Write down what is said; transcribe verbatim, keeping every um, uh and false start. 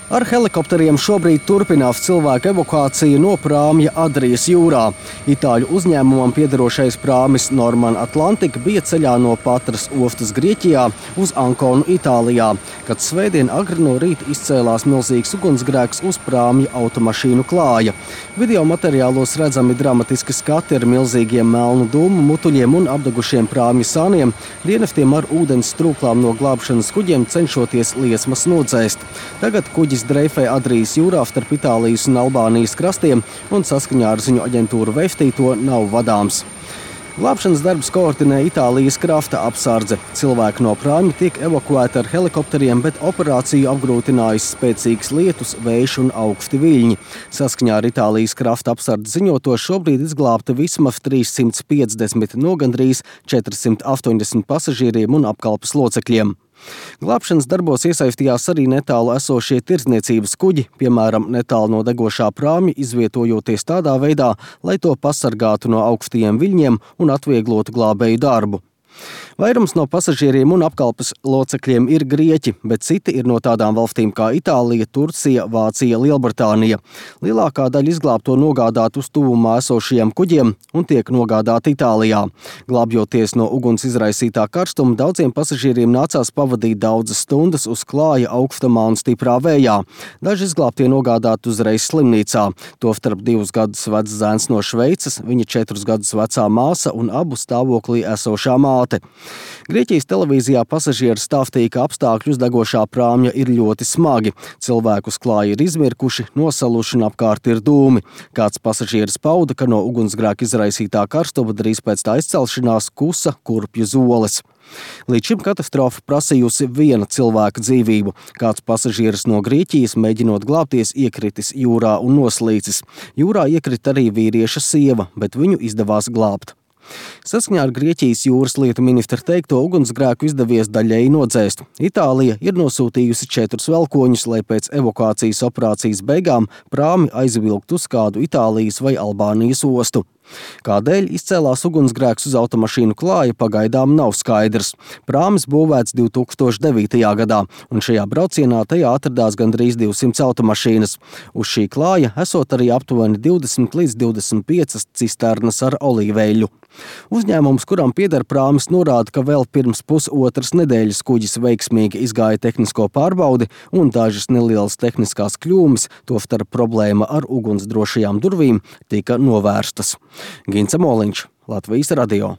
Ar helikopteriem šobrīd turpinās cilvēku evakuācija no prāmja Adrijas jūrā. Itāļu uzņēmumam piederošais prāmis Norman Atlantic bija ceļā no Patras ostas Grieķijā uz Anconu Itālijā, kad svētdien agri no rīta izcēlās milzīgs ugunsgrēks uz prāmja automašīnu klāja. Video materiālos redzami dramatiski skati ar milzīgiem melnu dūmu mutuļiem un apdegušiem prāmja sāniem, dienestiem ar ūdens strūklām no glābšanas kuģiem cenšoties liesmas nodzēst. Tagad kuģis dreifē Adrijas jūrā starp Itālijas un Albānijas krastiem un saskaņā ar ziņu aģentūru Vefti to nav vadāms. Glābšanas darbus koordinē Itālijas krasta apsardze. Cilvēki no prāmja tiek evakuēti ar helikopteriem, bet operāciju apgrūtinājis spēcīgs lietus, vējš un augsti viļņi. Saskaņā ar Itālijas krasta apsardzi ziņoto šobrīd izglābta vismaz trīssimts piecdesmit no gandrīz četrsimt astoņdesmit pasažieriem un apkalpes locekļiem. Glābšanas darbos iesaistījās arī netālu esošie tirdzniecības kuģi, piemēram, netālu no degošā prāmja, izvietojoties tādā veidā, lai to pasargātu no augstajiem viļņiem un atvieglotu glābēju darbu. Vairums no pasažieriem un apkalpes locekļiem ir grieķi, bet citi ir no tādām valstīm kā Itālija, Turcija, Vācija, Lielbritānija. Lielākā daļa izglābto nogādāt uz tuvumā esošajiem kuģiem un tiek nogādāti Itālijā. Glābjoties no uguns izraisītā karstuma, daudziem pasažieriem nācās pavadīt daudzas stundas uz klāja augstumā un stiprā vējā. Daži izglābtie nogādāti uzreiz slimnīcā. Tostarp divus gadus vecs zēns no Šveices, viņa četrus gadus vecā māsa un abu stāvoklī esošā māte. Grieķijas televīzijā pasažieri stāstīja, ka apstākļi uz degošā prāmja ir ļoti smagi. Cilvēku uz klāja ir izmirkuši, nosaluši un apkārt ir dūmi. Kāds pasažieris pauda, ka no ugunsgrēka izraisītā karstuma drīz pēc tā izcelšanās kusa kurpju zoles. Līdz šim katastrofa prasījusi viena cilvēka dzīvību. Kāds pasažieris no Grieķijas, mēģinot glābties, iekritis jūrā un noslīcis. Jūrā iekrita arī vīrieša sieva, bet viņu izdevās glābt. Saskaņā ar Grieķijas jūras lietu ministra teikto, ugunsgrēku izdevies daļēji nodzēst. Itālija ir nosūtījusi četrus velkoņus, lai pēc evakuācijas operācijas beigām prāmi aizvilkt uz kādu Itālijas vai Albānijas ostu. Kādēļ izcēlās ugunsgrēks uz automašīnu klāja, pagaidām nav skaidrs. Prāmis būvēts divi tūkstoši devītajā gadā, un šajā braucienā tajā atradās gandrīz divsimt automašīnas. Uz šī klāja esot arī aptuveni divdesmit līdz divdesmit piecas cisternas ar olīveļu. Uzņēmums, kuram pieder prāmis, norāda, ka vēl pirms pusotras nedēļas kuģis veiksmīgi izgāja tehnisko pārbaudi un dažas nelielas tehniskās kļūmes, tostarp problēma ar ugunsdrošajām durvīm, tika novērstas. Gints Moliņš, Latvijas radio.